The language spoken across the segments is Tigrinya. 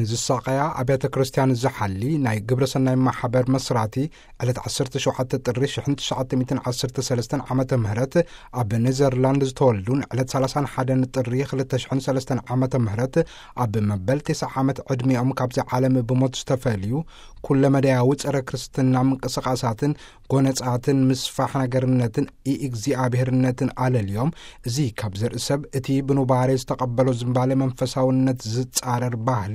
ንዝሳቐያ ኣብያተ ክርስቲያን ዝሓሊ ናይ ግብረ ሰናይ ማሕበር መስራቲ፣ ዕለት ዓሰርተ ሸውዓተ ጥሪ ሽሕን ትሽዓተ ሚእትን ዓሰርተ ሰለስተን ዓመተ ምህረት ኣብ ኔዘርላንድ ዝተወልዱን ዕለት ሰላሳን ሓደን ጥሪ ክልተ ሽሕን ሰለስተን ዓመተ ምህረት ኣብ መበል ተስዓ ዓመት ዕድሚኦም ካብዚ ዓለም ብሞት ዝተፈልዩ፣ ኩለመዳያዊ ጸረ ክርስትና ምንቅስቓሳትን ጎነጻትን ምስፋሕ ነገርነትን ኢእግዚኣብሔርነትን ኣለልዮም። እዚ ካብ ዘርኢ ሰብ እቲ ብኑባሬ ዝተቐበሎ ዝንባሌ መንፈሳውነት ዝጻረር ባህሊ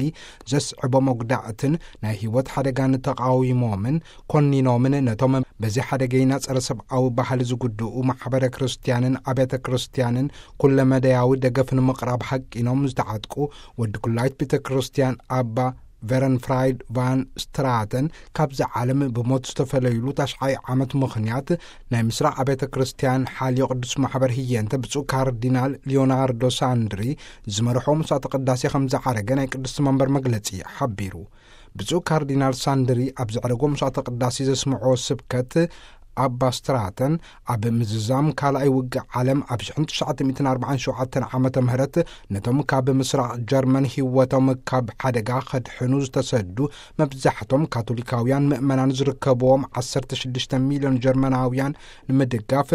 ዘስዕቦ መጉዳእትን ናይ ህይወት ሓደጋን ተቓዊሞምን ኮኒኖምን፣ ነቶም በዚ ሓደገይና ጸረ ሰብኣዊ ባህሊ ዝጉድኡ ማሕበረ ክርስቲያንን ኣብያተ ክርስቲያንን ኩለመዳያዊ ደገፍ ንምቕራብ ሃቂኖም ዝተዓጥቁ ወዲ ኩላይት ቤተ ክርስቲያን ኣባ ቨረንፍራይድ ቫን ስትራተን ካብዚ ዓለም ብሞት ዝተፈለዩሉ ታሽዓይ ዓመት ምኽንያት፣ ናይ ምስራቕ ኣብያተ ክርስቲያን ሓልዮ ቅዱስ ማሕበር ህየንተ ብፁዕ ካርዲናል ሊዮናርዶ ሳንድሪ ዝመርሖ ምሳተ ቅዳሴ ከም ዝዓረገ ናይ ቅድስቲ መንበር መግለጺ ሓቢሩ። ብፁዕ ካርዲናል ሳንድሪ ኣብ ዘዕረጎ ምሳተ ቅዳሴ ዘስምዖ ስብከት፣ ኣባ ስትራተን ኣብ ምዝዛም ካልኣይ ውግእ ዓለም ኣብ ሽሕን ትሽዓተ ሚእትን ኣርባዓን ሸውዓተን ዓመተ ምህረት ነቶም ካብ ምስራቕ ጀርመን ህይወቶም ካብ ሓደጋ ከድሕኑ ዝተሰዱ፣ መብዛሕቶም ካቶሊካውያን ምእመናን ዝርከብዎም ዓሰርተ ሽዱሽተ ሚልዮን ጀርመናውያን ንምድጋፍ፣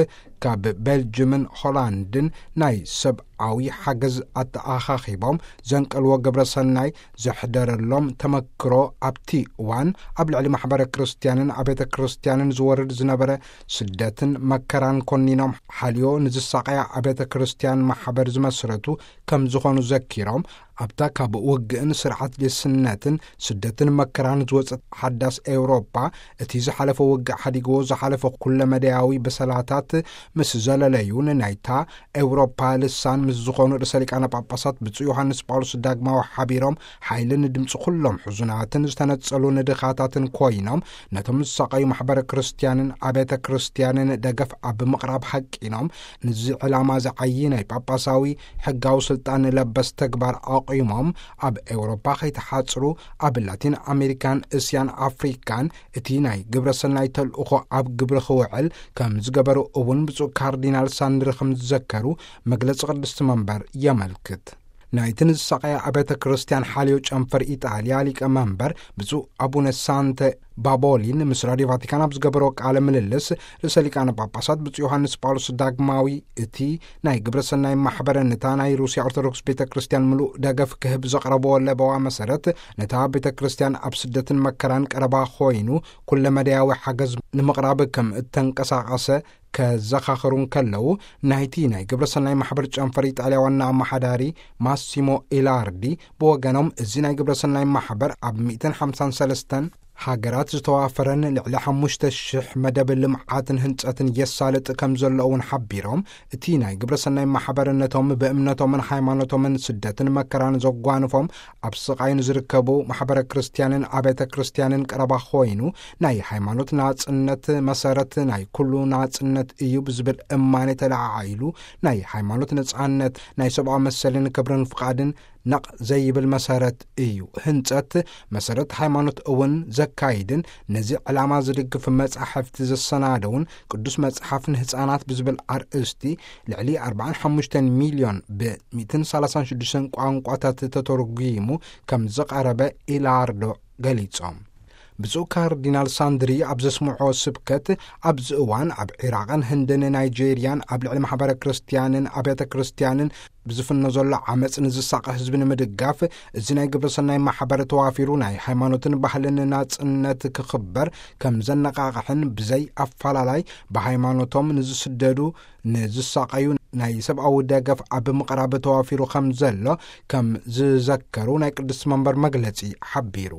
ካብ ቤልጅምን ሆላንድን ናይ ሰብኣዊ ሓገዝ ኣተኣኻኺቦም ዘንቀልዎ ግብረ ሰናይ ዘሕደረሎም ተመክሮ፣ ኣብቲ እዋን ኣብ ልዕሊ ማሕበረ ክርስቲያንን ኣብያተ ክርስቲያንን ዝወርድ ዝነበረ ስደትን መከራን ኮኒኖም ሓልዮ ንዝሳቐያ ኣብያተ ክርስቲያን ማሕበር ዝመስረቱ ከም ዝኾኑ ዘኪሮም፣ ኣብታ ካብ ውግእን ስርዓት ሌስነትን ስደትን መከራን ዝወጸት ሓዳስ ኤውሮጳ፣ እቲ ዝሓለፈ ውግእ ሓዲግዎ ዝሓለፈ ኩለመዳያዊ በሰላታት ምስ ዘለለዩን፣ ናይታ ኤውሮፓ ልሳን ምስ ዝኾኑ ርእሰ ሊቃነ ጳጳሳት ብፁዕ ዮሃንስ ጳውሎስ ዳግማዊ ሓቢሮም ሓይልን ድምፂ ኩሎም ሕዙናትን ዝተነጸሉ ንድኻታትን ኮይኖም፣ ነቶም ዝሳቐዩ ማሕበረ ክርስቲያንን ኣብያተ ክርስቲያንን ደገፍ ኣብ ምቕራብ ሃቂኖም፣ ንዚ ዕላማ ዝዓዪ ናይ ጳጳሳዊ ሕጋዊ ስልጣን ለበስ ተግባር ኣቑሞም ኣብ ኤውሮፓ ከይተሓጽሩ፣ ኣብ ላቲን ኣሜሪካን እስያን ኣፍሪካን እቲ ናይ ግብረ ሰናይ ተልእኾ ኣብ ግብሪ ክውዕል ከም ዝገበሩ እውን ብፁዕ ካርዲናል ሳንድሪ ከም ዝዘከሩ መግለጺ ቅድስቲ መንበር የመልክት። ናይቲ ንዝሳቐያ ኣብያተ ክርስቲያን ሓልዮ ጨንፈር ኢጣልያ ሊቀ መንበር ብፁዕ ኣቡነ ሳንተ ባቦሊን ምስ ራድዮ ቫቲካን ኣብ ዝገበሮ ቃለ ምልልስ፣ ርእሰ ሊቃነ ጳጳሳት ብፁዕ ዮሃንስ ጳውሎስ ዳግማዊ እቲ ናይ ግብረ ሰናይ ማሕበረ ነታ ናይ ሩስያ ኦርቶዶክስ ቤተ ክርስቲያን ምሉእ ደገፍ ክህብ ዘቕረብዎ ለበዋ መሰረት፣ ነታ ቤተ ክርስቲያን ኣብ ስደትን መከራን ቀረባ ኮይኑ ኩለመዳያዊ ሓገዝ ንምቕራብ ከም እተንቀሳቐሰ ከዘኻኽሩ እንከለዉ፣ ናይቲ ናይ ግብረ ሰናይ ማሕበር ጨንፈር ኢጣልያ ዋና ኣመሓዳሪ ማሲሞ ኢላርዲ ብወገኖም፣ እዚ ናይ ግብረ ሰናይ ማሕበር ኣብ ሚእትን ሓምሳን ሰለስተን ሃገራት ዝተዋፈረን ልዕሊ ሓሙሽተ ሽሕ መደብ ልምዓትን ህንጸትን የሳልጥ ከም ዘሎ እውን ሓቢሮም፣ እቲ ናይ ግብረ ሰናይ ማሕበር ነቶም ብእምነቶምን ሃይማኖቶምን ስደትን መከራን ዘጓንፎም ኣብ ስቓይ ንዝርከቡ ማሕበረ ክርስቲያንን ኣብያተ ክርስቲያንን ቀረባ ኮይኑ፣ ናይ ሃይማኖት ናጽነት መሰረት ናይ ኩሉ ናጽነት እዩ ብዝብል እማኔ ተለዓዒሉ፣ ናይ ሃይማኖት ነጻነት ናይ ሰብኣዊ መሰልን ክብርን ፍቓድን ነቕ ዘይብል መሰረት እዩ። ህንጸት መሰረት ሃይማኖት እውን ዘካይድን ነዚ ዕላማ ዝድግፍ መጻሕፍቲ ዘሰናደውን ቅዱስ መጽሓፍ ንህጻናት ብዝብል ኣርእስቲ ልዕሊ ኣርባዓን ሓሙሽተን ሚልዮን ብ ሚእትን ሰላሳን ሽዱሽተን ቋንቋታት ተተርጒሙ ከም ዝቐረበ ኢላርዶ ገሊጾም። ብፁዕ ካርዲናል ሳንድሪ ኣብ ዘስምዖ ስብከት፣ ኣብዚ እዋን ኣብ ዒራቕን ህንድን ናይጄርያን ኣብ ልዕሊ ማሕበረ ክርስቲያንን ኣብያተ ክርስቲያንን ብዝፍኖ ዘሎ ዓመፅ ንዝሳቐ ህዝቢ ንምድጋፍ፣ እዚ ናይ ግብረ ሰናይ ማሕበር ተዋፊሩ ናይ ሃይማኖትን ባህልን ናጽነት ክኽበር ከም ዘነቓቕሕን፣ ብዘይ ኣፈላላይ ብሃይማኖቶም ንዝስደዱ፣ ንዝሳቐዩ፣ ናይ ሰብኣዊ ደገፍ ኣብ ምቕራብ ተዋፊሩ ከም ዘሎ ከም ዝዘከሩ ናይ ቅድስቲ መንበር መግለጺ ሓቢሩ።